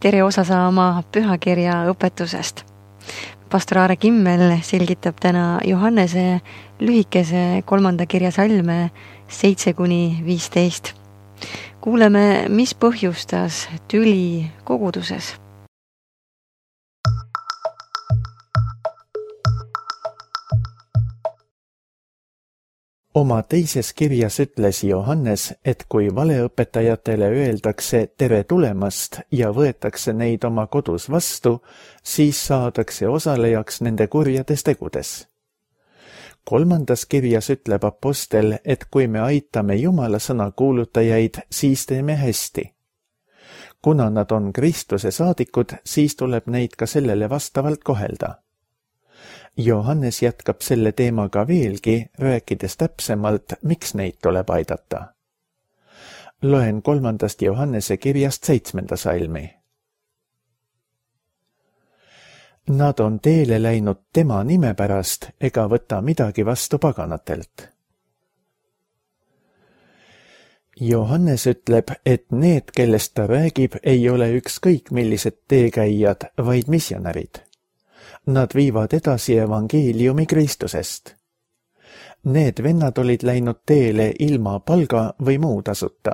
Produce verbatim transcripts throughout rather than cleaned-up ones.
tere osa saama pühakirja õpetusest. Pastor Aare Kimmel selgitab täna Johannese lühikese kolmanda kirja salme seitse kuni viisteist. Kuuleme, mis põhjustas tüli koguduses. Oma teises kirjas ütles Johannes, et kui valeõpetajatele öeldakse tere tulemast ja võetakse neid oma kodus vastu, siis saadakse osalejaks nende kurjades tegudes. Kolmandas kirjas ütleb apostel, et kui me aitame Jumala sõna kuulutajaid, siis teeme hästi. Kuna nad on Kristuse saadikud, siis tuleb neid ka sellele vastavalt kohelda. Johannes jätkab selle teemaga veelgi, rääkides täpsemalt, miks neid tuleb aidata. Loen kolmandast Johannese kirjast seitsmenda salmi. Nad on teele läinud tema nime pärast ega võta midagi vastu paganatelt. Johannes ütleb, et need, kellest ta räägib, ei ole ükskõik millised teekäijad, vaid missionärid. Nad viivad edasi evangeeliumi Kristusest. Need vennad olid läinud teele ilma palga või muu tasuta.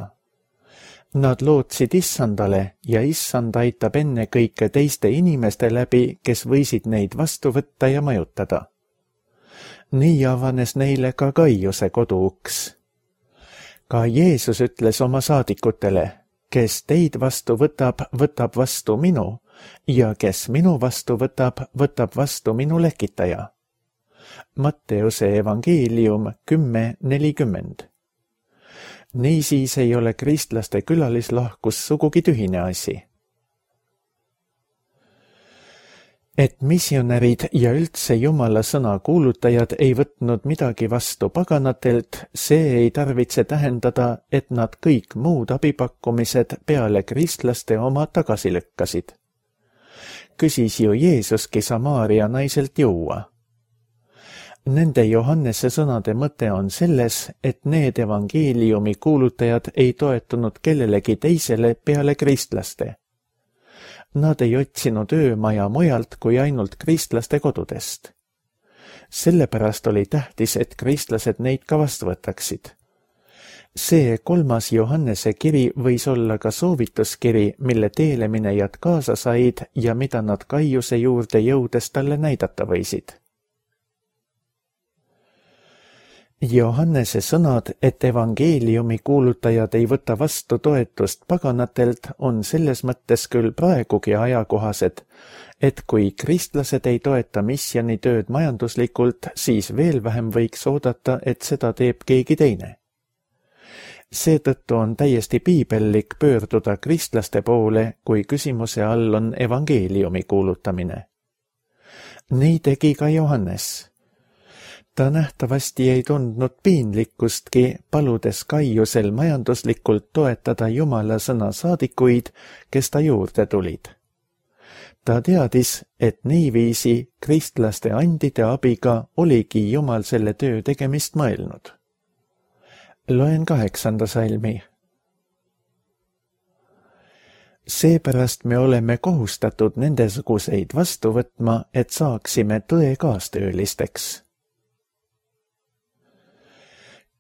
Nad lootsid issandale ja issand aitab enne kõike teiste inimeste läbi, kes võisid neid vastu võtta ja majutada. Nii avanes neile ka Gaiuse koduuks. Ka Jeesus ütles oma saadikutele, kes teid vastu võtab, võtab vastu minu, ja kes minu vastu võtab, võtab vastu minu lekitaja. Matteuse evangeelium kümme nelikümmend. Niisiis ei ole kristlaste külalislahkus sugugi tühine asi. Et missionärid ja üldse Jumala sõna kuulutajad ei võtnud midagi vastu paganatelt, see ei tarvitse tähendada, et nad kõik muud abipakkumised peale kristlaste oma tagasi lükkasid. Küsis ju Jeesuski Samaaria naiselt juua. Nende Johannese sõnade mõte on selles, et need evangeeliumi kuulutajad ei toetunud kellelegi teisele peale kristlaste. Nad ei otsinud öömaja mujalt kui ainult kristlaste kodudest. Sellepärast oli tähtis, et kristlased neid ka vastu võtaksid. See kolmas Johannese kiri võis olla ka soovituskiri, mille teeleminejad kaasa said ja mida nad Gaiuse juurde jõudes talle näidata võisid. Johannese sõnad, et evangeeliumi kuulutajad ei võta vastu toetust paganatelt, on selles mõttes küll praegugi ajakohased, et kui kristlased ei toeta missionitööd majanduslikult, siis veel vähem võiks oodata, et seda teeb keegi teine. Seetõttu on täiesti piibellik pöörduda kristlaste poole, kui küsimuse all on evangeeliumi kuulutamine. Nii tegi ka Johannes. Ta nähtavasti ei tundnud piinlikkustki, paludes Gaiusel majanduslikult toetada Jumala sõna saadikuid, kes ta juurde tulid. Ta teadis, et niiviisi kristlaste andide abiga oligi Jumal selle töö tegemist mõelnud. Loen kaheksanda salmi. Seepärast me oleme kohustatud nendesuguseid vastu võtma, et saaksime tõe kaastöölisteks.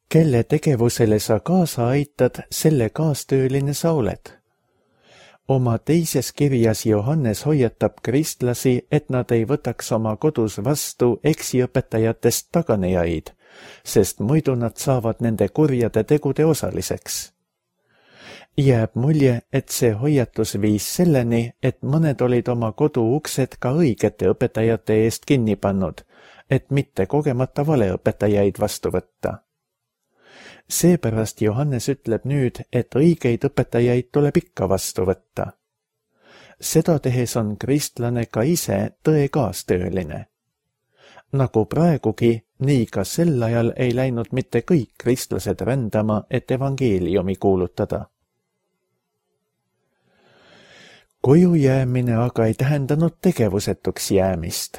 Kelle tegevusele sa kaasa aitad, selle kaastööline sa oled. Oma teises kirjas Johannes hoiatab kristlasi, et nad ei võtaks oma kodus vastu eksiõpetajatest taganejaid, sest muidu nad saavad nende kurjade tegude osaliseks. Jääb mulje, et see hoiatus viis selleni, et mõned olid oma kodu uksed ka õigete õpetajate eest kinni pannud, et mitte kogemata valeõpetajaid vastu võtta. Seepärast Johannes ütleb nüüd, et õigeid õpetajaid tuleb ikka vastu võtta. Seda tehes on kristlane ka ise tõe kaastööline. Nagu praegugi, nii ka sel ajal ei läinud mitte kõik kristlased rändama, et evangeeliumi kuulutada. Koju jäämine aga ei tähendanud tegevusetuks jäämist.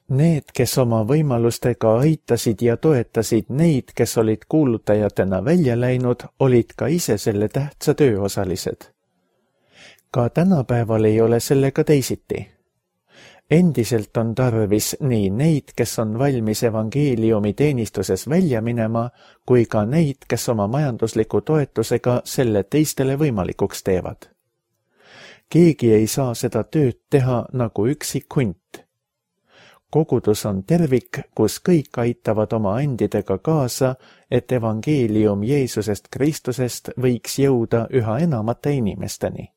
Need, kes oma võimalustega aitasid ja toetasid neid, kes olid kuulutajatena välja läinud, olid ka ise selle tähtsa töö osalised. Ka tänapäeval ei ole sellega teisiti. Endiselt on tarvis nii neid, kes on valmis evangeeliumi teenistuses välja minema, kui ka neid, kes oma majandusliku toetusega selle teistele võimalikuks teevad. Keegi ei saa seda tööd teha nagu üksik hunt. Kogudus on tervik, kus kõik aitavad oma andidega kaasa, et evangeelium Jeesusest Kristusest võiks jõuda üha enamate inimesteni.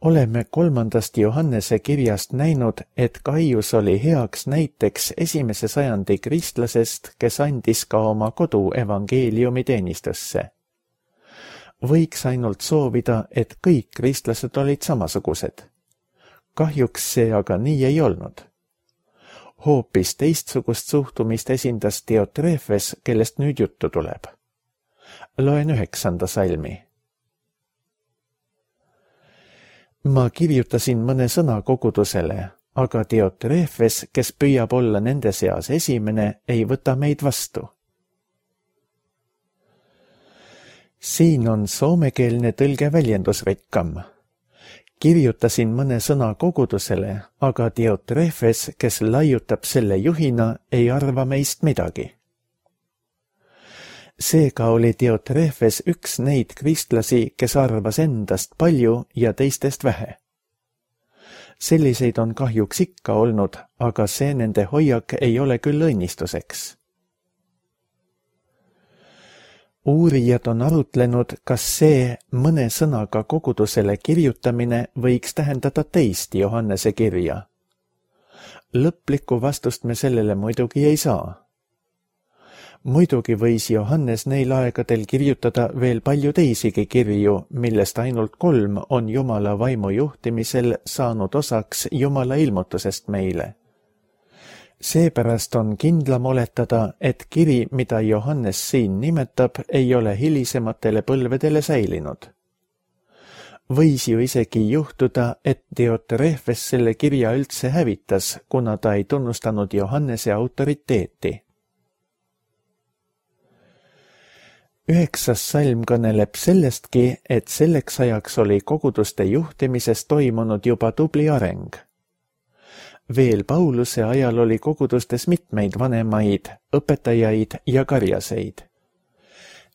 Oleme kolmandast Johannese kirjast näinud, et Gaius oli heaks näiteks esimese sajandi kristlasest, kes andis ka oma kodu evangeeliumi teenistusse. Võiks ainult soovida, et kõik kristlased olid samasugused. Kahjuks see aga nii ei olnud. Hoopis teistsugust suhtumist esindas Diotrefes, kellest nüüd juttu tuleb. Loen üheksanda salmi. Ma kirjutasin mõne sõna kogudusele, aga Diotrefes, kes püüab olla nende seas esimene, ei võta meid vastu. Siin on soomekeelne tõlge väljendusrikkam. Kirjutasin mõne sõna kogudusele, aga Diotrefes, kes laiutab selle juhina, ei arva meist midagi. Seega oli Diotrefes üks neid kristlasi, kes arvas endast palju ja teistest vähe. Selliseid on kahjuks ikka olnud, aga see nende hoiak ei ole küll õnnistuseks. Uurijad on arutlenud, kas see mõne sõnaga kogudusele kirjutamine võiks tähendada teist Johannese kirja. Lõplikku vastust me sellele muidugi ei saa. Muidugi võis Johannes neil aegadel kirjutada veel palju teisigi kirju, millest ainult kolm on Jumala vaimu juhtimisel saanud osaks Jumala ilmutusest meile. Seepärast on kindlam oletada, et kiri, mida Johannes siin nimetab, ei ole hilisematele põlvedele säilinud. Võis ju isegi juhtuda, et Diotrefes selle kirja üldse hävitas, kuna ta ei tunnustanud Johannese autoriteeti. Üheksas salm kõneleb sellestki, et selleks ajaks oli koguduste juhtimises toimunud juba tubli areng. Veel Pauluse ajal oli kogudustes mitmeid vanemaid, õpetajaid ja karjaseid.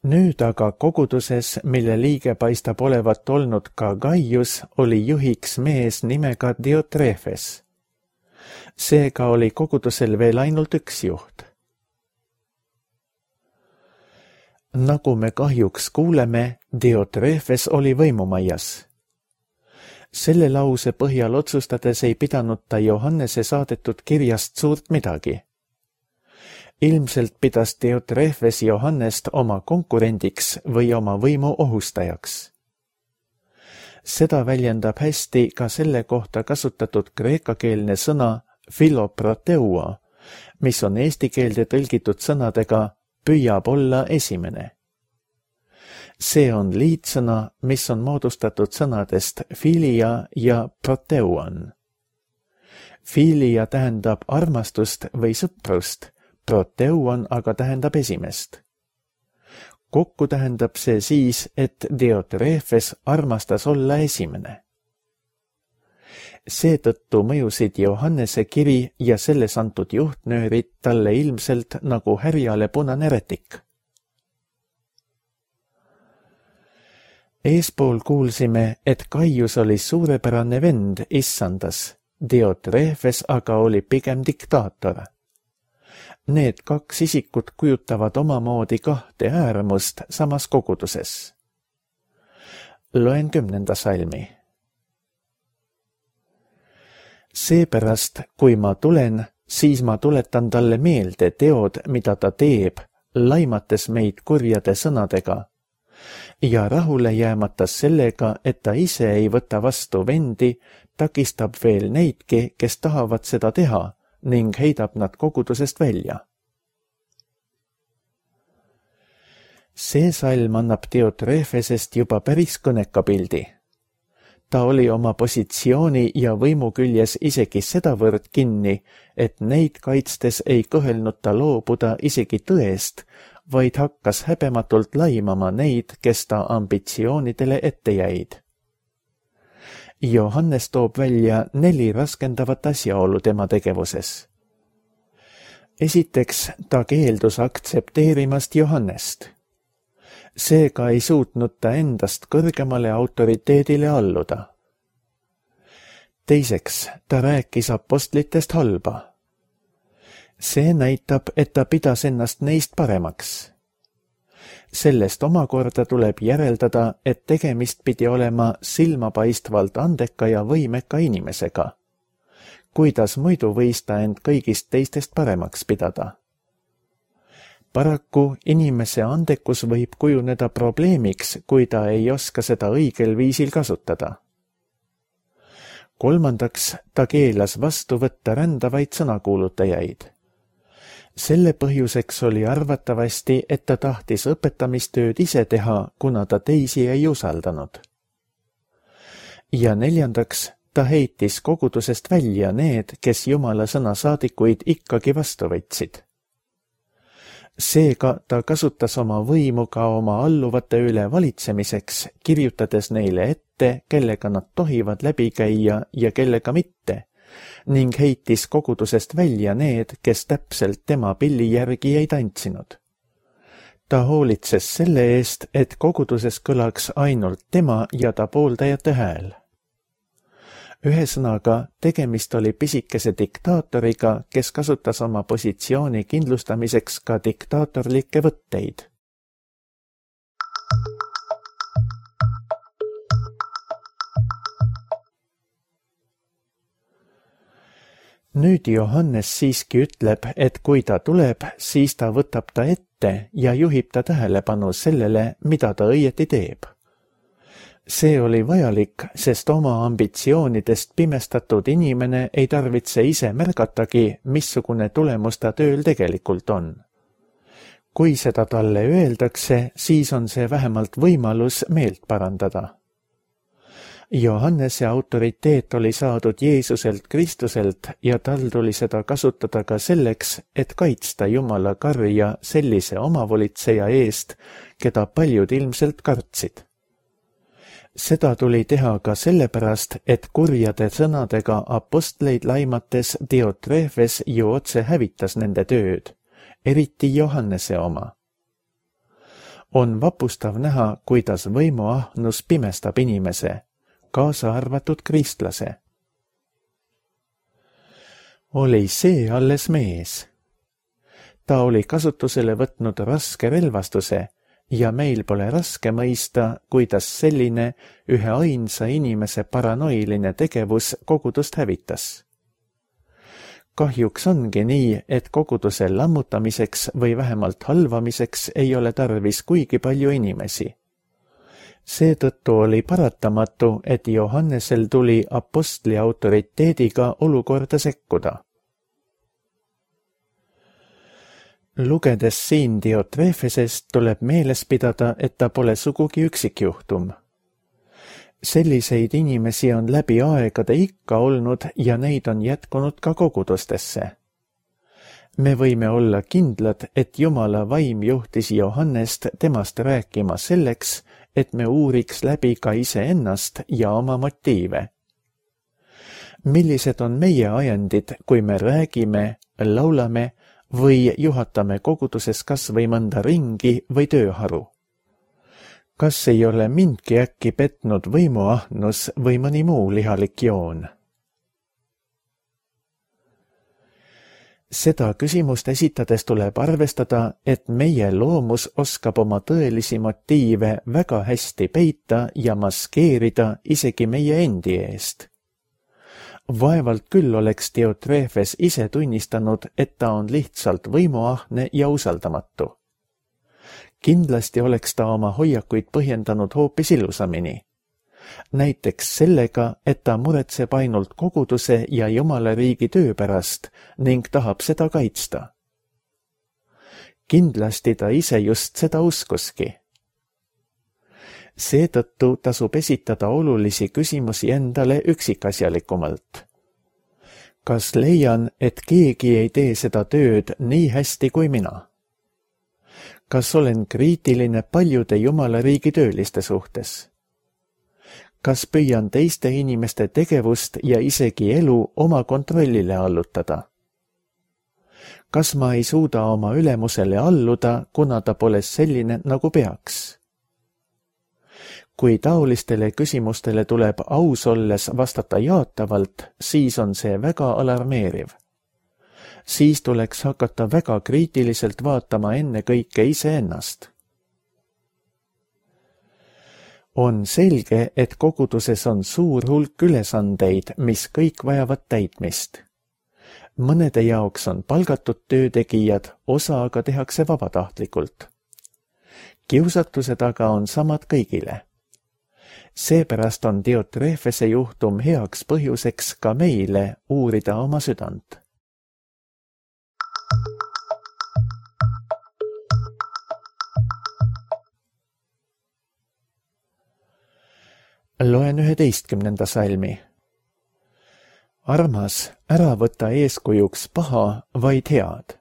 Nüüd aga koguduses, mille liige paistab olevat olnud ka Gaius, oli juhiks mees nimega Diotrefes. Seega oli kogudusel veel ainult üks juht. Nagu me kahjuks kuuleme, Diotrefes oli võimumaias. Selle lause põhjal otsustades ei pidanud ta Johannese saadetud kirjast suurt midagi. Ilmselt pidas Diotrefes Johannest oma konkurendiks või oma võimu ohustajaks. Seda väljendab hästi ka selle kohta kasutatud kreekakeelne sõna philoproteua, mis on eesti keelde tõlgitud sõnadega püüab olla esimene. See on liitsõna, mis on moodustatud sõnadest filia ja proteuan. Filia tähendab armastust või sõprust, proteuan aga tähendab esimest. Kokku tähendab see siis, et Diotrefes armastas olla esimene. Seetõttu mõjusid Johannese kiri ja selles antud juhtnöörid talle ilmselt nagu härjale punane rätik. Eespool kuulsime, et Gaius oli suurepärane vend issandas, Diotrefes aga oli pigem diktaator. Need kaks isikut kujutavad omamoodi kahte äärmust samas koguduses. Loen kümnenda salmi. Seepärast, kui ma tulen, siis ma tuletan talle meelde teod, mida ta teeb, laimates meid kurjade sõnadega, ja rahule jäämatas sellega, et ta ise ei võta vastu vendi, takistab veel neidki, kes tahavad seda teha, ning heidab nad kogudusest välja. See salm annab Diotrefesest juba päris kõneka pildi. ta oli oma positsiooni ja võimu küljes isegi sedavõrd kinni, et neid kaitstes ei kõhelnud ta loobuda isegi tõest, vaid hakkas häbematult laimama neid, kes ta ambitsioonidele ette jäid. Johannes toob välja neli raskendavat asjaolu tema tegevuses. Esiteks, ta keeldus aktsepteerimast Johannest. Seega ei suutnud ta endast kõrgemale autoriteedile alluda. Teiseks, ta rääkis apostlitest halba. See näitab, et ta pidas ennast neist paremaks. Sellest omakorda tuleb järeldada, et tegemist pidi olema silmapaistvalt andeka ja võimeka inimesega. Kuidas muidu võis ta end kõigist teistest paremaks pidada? Paraku inimese andekus võib kujuneda probleemiks, kui ta ei oska seda õigel viisil kasutada. Kolmandaks, ta keelas vastu võtta rändavaid sõnakuulutajaid. Selle põhjuseks oli arvatavasti, et ta tahtis õpetamistööd ise teha, kuna ta teisi ei usaldanud. Ja neljandaks, ta heitis kogudusest välja need, kes Jumala sõna saadikuid ikkagi vastu võtsid. Seega ta kasutas oma võimu ka oma alluvate üle valitsemiseks, kirjutades neile ette, kellega nad tohivad läbi käia ja kellega mitte, ning heitis kogudusest välja need, kes täpselt tema pilli järgi ei tantsinud. Ta hoolitses selle eest, et koguduses kõlaks ainult tema ja ta pooldajate hääl. Ühesõnaga, tegemist oli pisikese diktaatoriga, kes kasutas oma positsiooni kindlustamiseks ka diktaatorlikke võtteid. Nüüd Johannes siiski ütleb, et kui ta tuleb, siis ta võtab ta ette ja juhib ta tähelepanu sellele, mida ta õieti teeb. See oli vajalik, sest oma ambitsioonidest pimestatud inimene ei tarvitse ise märgatagi, missugune tulemus ta tööl tegelikult on. Kui seda talle öeldakse, siis on see vähemalt võimalus meelt parandada. Johannese autoriteet oli saadud Jeesuselt Kristuselt ja tal tuli seda kasutada ka selleks, et kaitsta Jumala karja sellise omavolitseja eest, keda paljud ilmselt kartsid. Seda tuli teha ka sellepärast, et kurjade sõnadega apostleid laimates Diotrefes ju otse hävitas nende tööd, eriti Johannese oma. On vapustav näha, kuidas võimuahnus pimestab inimese, kaasa arvatud kristlase. Oli see alles mees. Ta oli kasutusele võtnud raske relvastuse, ja meil pole raske mõista, kuidas selline ühe ainsa inimese paranoiline tegevus kogudust hävitas. Kahjuks ongi nii, et koguduse lammutamiseks või vähemalt halvamiseks ei ole tarvis kuigi palju inimesi. Seetõttu oli paratamatu, et Johannesel tuli apostli autoriteediga olukorda sekkuda. Lugedes siin Diotrefesest tuleb meeles pidada, et ta pole sugugi üksikjuhtum. Selliseid inimesi on läbi aegade ikka olnud ja neid on jätkunud ka kogudustesse. Me võime olla kindlad, et Jumala vaim juhtis Johannest temast rääkima selleks, et me uuriks läbi ka iseennast ja oma motiive. Millised on meie ajendid, kui me räägime, laulame või juhatame koguduses kas või mõnda ringi või tööharu? Kas ei ole mindki äkki petnud võimuahnus või mõni muu lihalik joon? Seda küsimust esitades tuleb arvestada, et meie loomus oskab oma tõelisi motiive väga hästi peita ja maskeerida isegi meie endi eest. Vaevalt küll oleks Diotrefes ise tunnistanud, et ta on lihtsalt võimuahne ja usaldamatu. Kindlasti oleks ta oma hoiakuid põhjendanud hoopis ilusamini. Näiteks sellega, et ta muretseb ainult koguduse ja Jumala riigi töö pärast ning tahab seda kaitsta. Kindlasti ta ise just seda uskuski. Seetõttu tasub esitada olulisi küsimusi endale üksikasjalikumalt. Kas leian, et keegi ei tee seda tööd nii hästi kui mina? Kas olen kriitiline paljude Jumala riigi tööliste suhtes? Kas püüan teiste inimeste tegevust ja isegi elu oma kontrollile allutada? Kas ma ei suuda oma ülemusele alluda, kuna ta pole selline, nagu peaks? Kui taolistele küsimustele tuleb aus olles vastata jaatavalt, siis on see väga alarmeeriv. Siis tuleks hakata väga kriitiliselt vaatama enne kõike iseennast. On selge, et koguduses on suur hulk ülesandeid, mis kõik vajavad täitmist. Mõnede jaoks on palgatud töötegijad, osa aga tehakse vabatahtlikult. Kiusatused aga on samad kõigile. Seepärast on Diotrefese juhtum heaks põhjuseks ka meile uurida oma südant. Loen üheteistkümnenda salmi. Armas, ära võta eeskujuks paha, vaid head.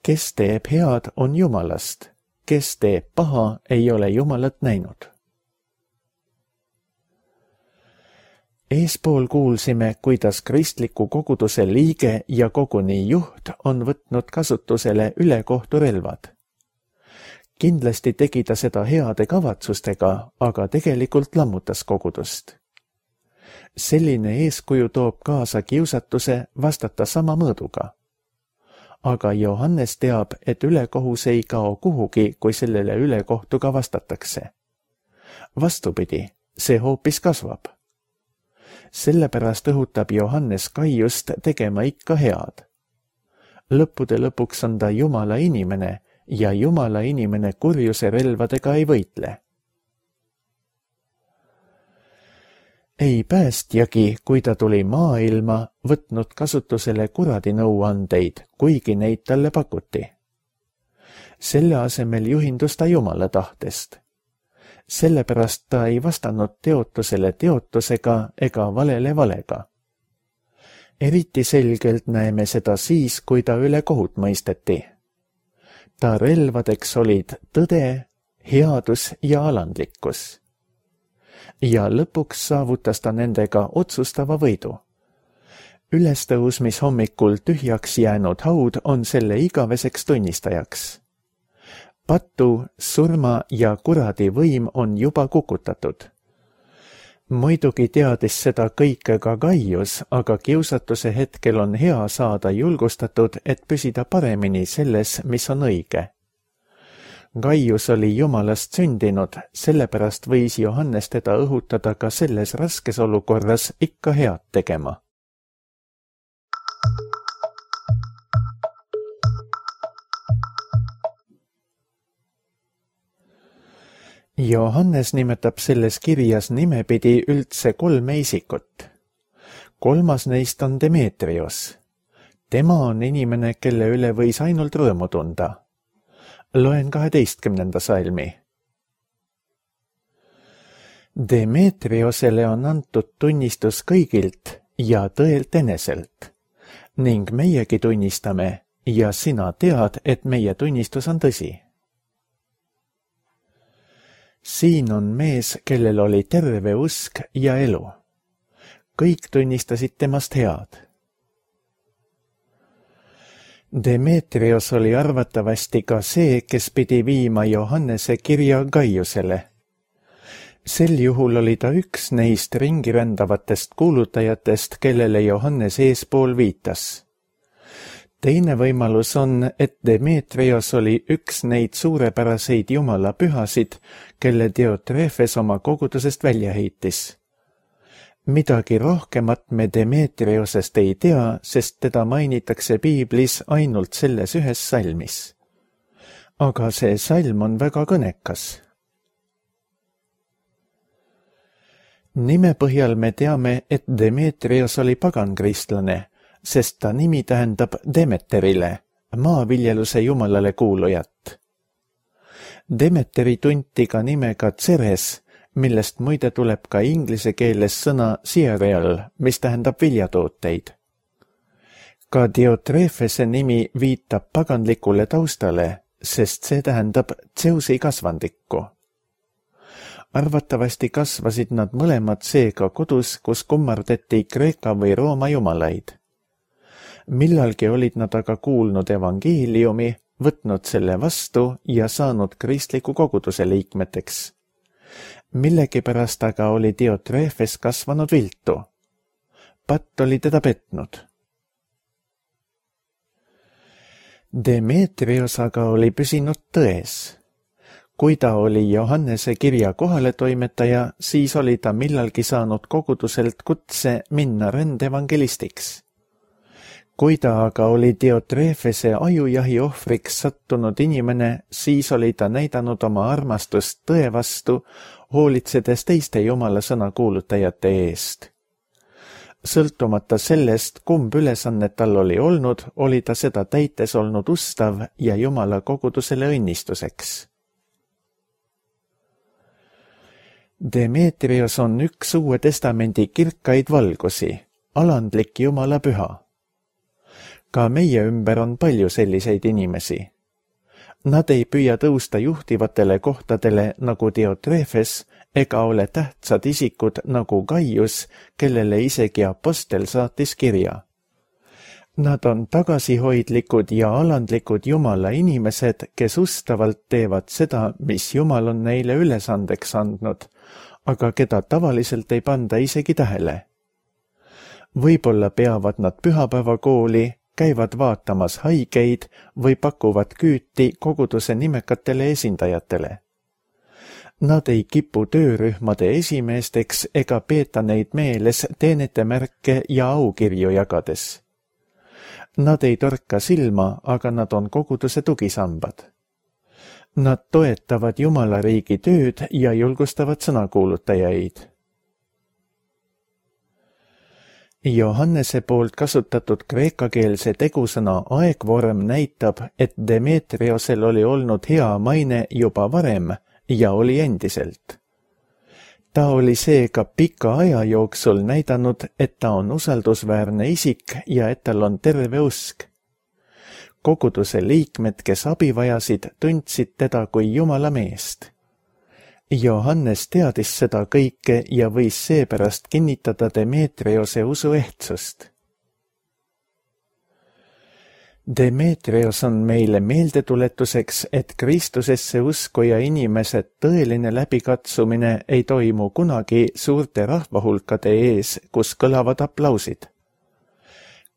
Kes teeb head, on Jumalast. Kes teeb paha, ei ole Jumalat näinud. Eespool kuulsime, kuidas kristliku koguduse liige ja koguni juht on võtnud kasutusele ülekohturelvad. Kindlasti tegi ta seda heade kavatsustega, aga tegelikult lammutas kogudust. Selline eeskuju toob kaasa kiusatuse vastata sama mõõduga. Aga Johannes teab, et ülekohus ei kao kuhugi, kui sellele ülekohtuga vastatakse. Vastupidi, see hoopis kasvab. Sellepärast õhutab Johannes Gaiust tegema ikka head. Lõppude lõpuks on ta Jumala inimene ja Jumala inimene kurjuse relvadega ei võitle. Ei päästjagi, kui ta tuli maailma, võtnud kasutusele kuradi nõuandeid, kuigi neid talle pakuti. Selle asemel juhindus ta Jumala tahtest. Sellepärast ta ei vastanud teotusele teotusega ega valele valega. Eriti selgelt näeme seda siis, kui ta üle kohut mõisteti. Ta relvadeks olid tõde, headus ja alandlikkus. Ja lõpuks saavutas ta nendega otsustava võidu. Ülestõusmis hommikul tühjaks jäänud haud on selle igaveseks tunnistajaks. Patu, surma ja kuradi võim on juba kukutatud. Muidugi teadis seda kõike ka Gaius, aga kiusatuse hetkel on hea saada julgustatud, et püsida paremini selles, mis on õige. Gaius oli Jumalast sündinud, sellepärast võis Johannes teda õhutada ka selles raskes olukorras ikka head tegema. Johannes nimetab selles kirjas nimepidi üldse kolme isikut. Kolmas neist on Demetrios. Tema on inimene, kelle üle võis ainult rõõmu tunda. Loen kaheteistkümnenda salmi. Demetriosele on antud tunnistus kõigilt ja tõelt eneselt. Ning meiegi tunnistame ja sina tead, et meie tunnistus on tõsi. Siin on mees, kellel oli terve usk ja elu. Kõik tunnistasid temast head. Demetrios oli arvatavasti ka see, kes pidi viima Johannese kirja Gaiusele. Sel juhul oli ta üks neist ringirändavatest kuulutajatest, kellele Johannes eespool viitas. Teine võimalus on, et Demetrios oli üks neid suurepäraseid Jumala pühasid, kelle Diotrefes oma kogudusest välja heitis. Midagi rohkemat me Demetriosest ei tea, sest teda mainitakse piiblis ainult selles ühes salmis. Aga see salm on väga kõnekas. Nime põhjal me teame, et Demetrios oli pagankristlane, sest ta nimi tähendab Demeterile, maaviljeluse jumalale kuulujat. Demeteri tunti ka nimega Ceres, millest muide tuleb ka inglise keeles sõna cereal, mis tähendab viljatooteid. Ka Diotrefese nimi viitab paganlikule taustale, sest see tähendab Zeusi kasvandikku. Arvatavasti kasvasid nad mõlemad seega kodus, kus kummardati Kreeka või Rooma jumalaid. Millalgi olid nad aga kuulnud evangeeliumi, võtnud selle vastu ja saanud kristliku koguduse liikmeteks. Millegipärast aga oli Diotrefes kasvanud viltu. Patt oli teda petnud. Demetrios aga oli püsinud tões. Kui ta oli Johannese kirja kohaletoimetaja, siis oli ta millalgi saanud koguduselt kutse minna rändevangelistiks. Kui ta aga oli Diotrefese ajujahi ohvriks sattunud inimene, siis oli ta näidanud oma armastust tõe vastu, hoolitsedes teiste jumala sõna kuulutajate eest. Sõltumata sellest, kumb ülesannet tal oli olnud, oli ta seda täites olnud ustav ja jumala kogudusele õnnistuseks. Demetrios on üks Uue Testamendi kirkaid valgusi, alandlik jumala püha. Ka meie ümber on palju selliseid inimesi. Nad ei püüa tõusta juhtivatele kohtadele nagu Diotrefes ega ole tähtsad isikud nagu Gaius, kellele isegi apostel saatis kirja. Nad on tagasihoidlikud ja alandlikud jumala inimesed, kes ustavalt teevad seda, mis jumal on neile ülesandeks andnud, aga keda tavaliselt ei panda isegi tähele. Võib-olla peavad nad pühapäevakooli, käivad vaatamas haigeid või pakuvad küüti koguduse nimekatele esindajatele. Nad ei kipu töörühmade esimeesteks ega peeta neid meeles teenetemärke ja aukirju jagades. Nad ei torka silma, aga nad on koguduse tugisambad. Nad toetavad Jumala riigi tööd ja julgustavad sõnakuulutajaid. Johannese poolt kasutatud kreekakeelse tegusõna aegvorm näitab, et Demetriosel oli olnud hea maine juba varem ja oli endiselt. Ta oli seega pika aja jooksul näidanud, et ta on usaldusväärne isik ja et tal on terve usk. Koguduse liikmed, kes abi vajasid, tundsid teda kui Jumala meest. Johannes teadis seda kõike ja võis seepärast kinnitada Demetriose usu ehtsust. Demetrios on meile meeldetuletuseks, et Kristusesse uskuja inimese tõeline läbikatsumine ei toimu kunagi suurte rahvahulkade ees, kus kõlavad aplausid.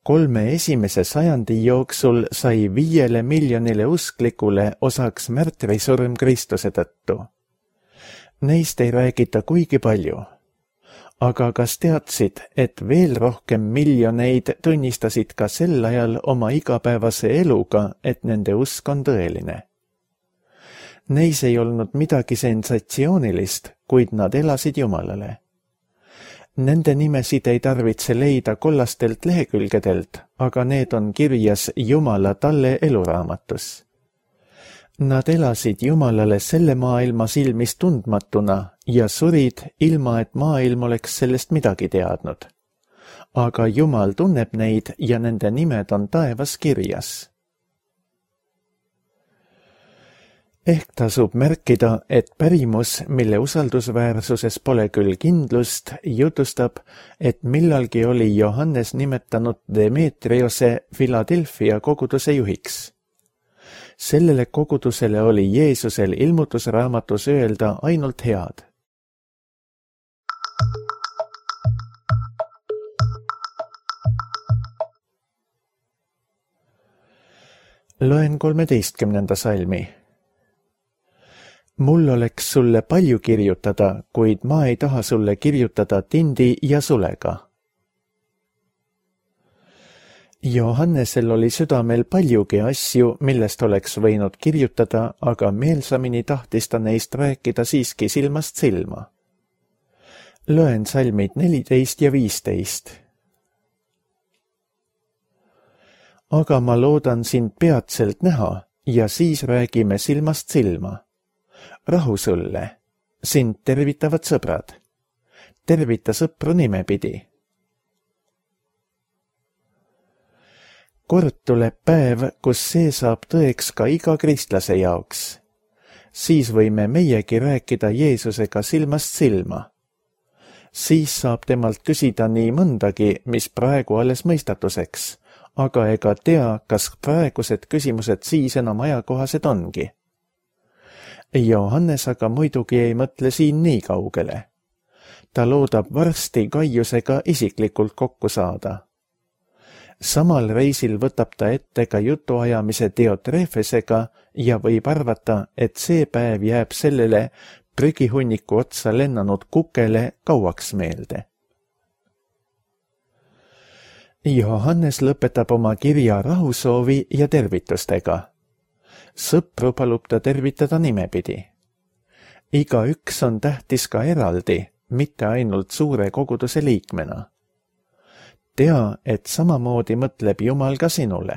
Kolme esimese sajandi jooksul sai viiele miljonile usklikule osaks märtrisurm Kristuse tõttu. Neist ei räägita kuigi palju. Aga kas teadsid, et veel rohkem miljoneid tunnistasid ka sel ajal oma igapäevase eluga, et nende usk on tõeline? Neis ei olnud midagi sensatsioonilist, kuid nad elasid Jumalale. Nende nimesid ei tarvitse leida kollastelt lehekülgedelt, aga need on kirjas Jumala talle eluraamatus. Nad elasid Jumalale selle maailma silmis tundmatuna ja surid, ilma et maailm oleks sellest midagi teadnud. Aga Jumal tunneb neid ja nende nimed on taevas kirjas. Ehk tasub märkida, et pärimus, mille usaldusväärsuses pole küll kindlust, jutustab, et millalgi oli Johannes nimetanud Demetriose Philadelphia koguduse juhiks. Sellele kogudusele oli Jeesusel ilmutusraamatus öelda ainult head. Loen kolmeteistkümnenda salmi. Mul oleks sulle palju kirjutada, kuid ma ei taha sulle kirjutada tindi ja sulega. Johannesel oli südamel paljugi asju, millest oleks võinud kirjutada, aga meelsamini tahtis ta neist rääkida siiski silmast silma. Loen salmid neliteist ja viisteist. Aga ma loodan sind peatselt näha ja siis räägime silmast silma. rahu sulle. Sind tervitavad sõbrad. Tervita sõpru nimepidi. Kord tuleb päev, kus see saab tõeks ka iga kristlase jaoks. Siis võime meiegi rääkida Jeesusega silmast silma. Siis saab temalt küsida nii mõndagi, mis praegu alles mõistatuseks, aga ega tea, kas praegused küsimused siis enam ajakohased ongi. Johannes aga muidugi ei mõtle siin nii kaugele. Ta loodab varsti Gaiusega isiklikult kokku saada. Samal reisil võtab ta ette ka jutuajamise Diotrefesega ja võib arvata, et see päev jääb sellele prügihunniku otsa lennanud kukele kauaks meelde. Johannes lõpetab oma kirja rahusoovi ja tervitustega. Sõpru palub ta tervitada nimepidi. Iga üks on tähtis ka eraldi, mitte ainult suure koguduse liikmena. Tea, et samamoodi mõtleb Jumal ka sinule.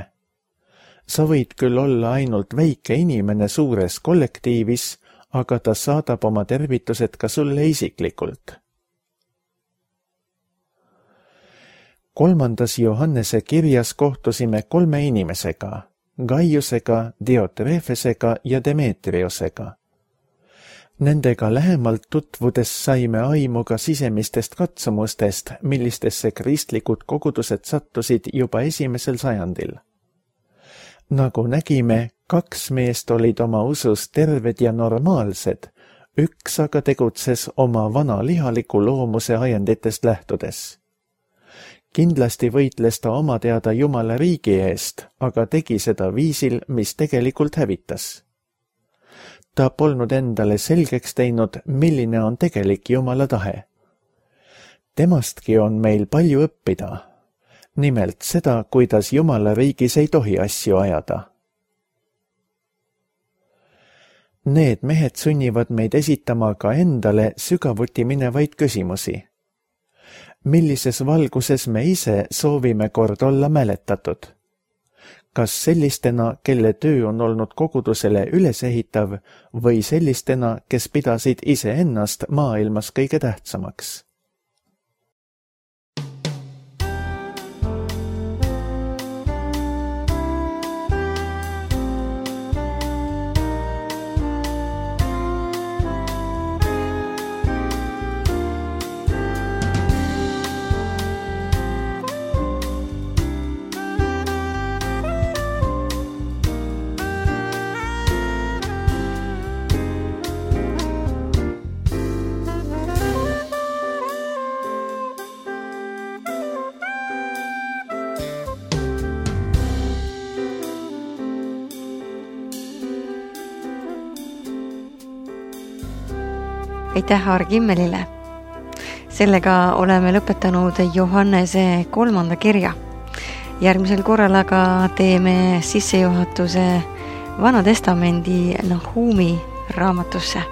Sa võid küll olla ainult väike inimene suures kollektiivis, aga ta saadab oma tervitused ka sulle isiklikult. Kolmandas Johannese kirjas kohtusime kolme inimesega, Gaiusega, Diotrefesega ja Demetriosega. Nendega lähemalt tutvudes saime aimu ka sisemistest katsumustest, millistesse kristlikud kogudused sattusid juba esimesel sajandil. Nagu nägime, kaks meest olid oma usus terved ja normaalsed, üks aga tegutses oma vana lihaliku loomuse ajenditest lähtudes. Kindlasti võitles ta oma teada Jumala riigi eest, aga tegi seda viisil, mis tegelikult hävitas. Ta polnud endale selgeks teinud, milline on tegelik Jumala tahe. Temastki on meil palju õppida. Nimelt seda, kuidas Jumala riigis ei tohi asju ajada. Need mehed sunnivad meid esitama ka endale sügavuti minevaid küsimusi. Millises valguses me ise soovime kord olla mäletatud? Kas sellistena, kelle töö on olnud kogudusele ülesehitav, või sellistena, kes pidasid iseennast maailmas kõige tähtsamaks? Aitäh Aar Kimmelile. Sellega oleme lõpetanud Johannese kolmanda kirja. Järgmisel korral aga teeme sissejuhatuse Vana Testamendi Nahumi raamatusse.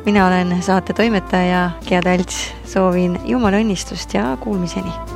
Mina olen saate toimetaja Gea Talts, soovin Jumala õnnistust ja kuulmiseni.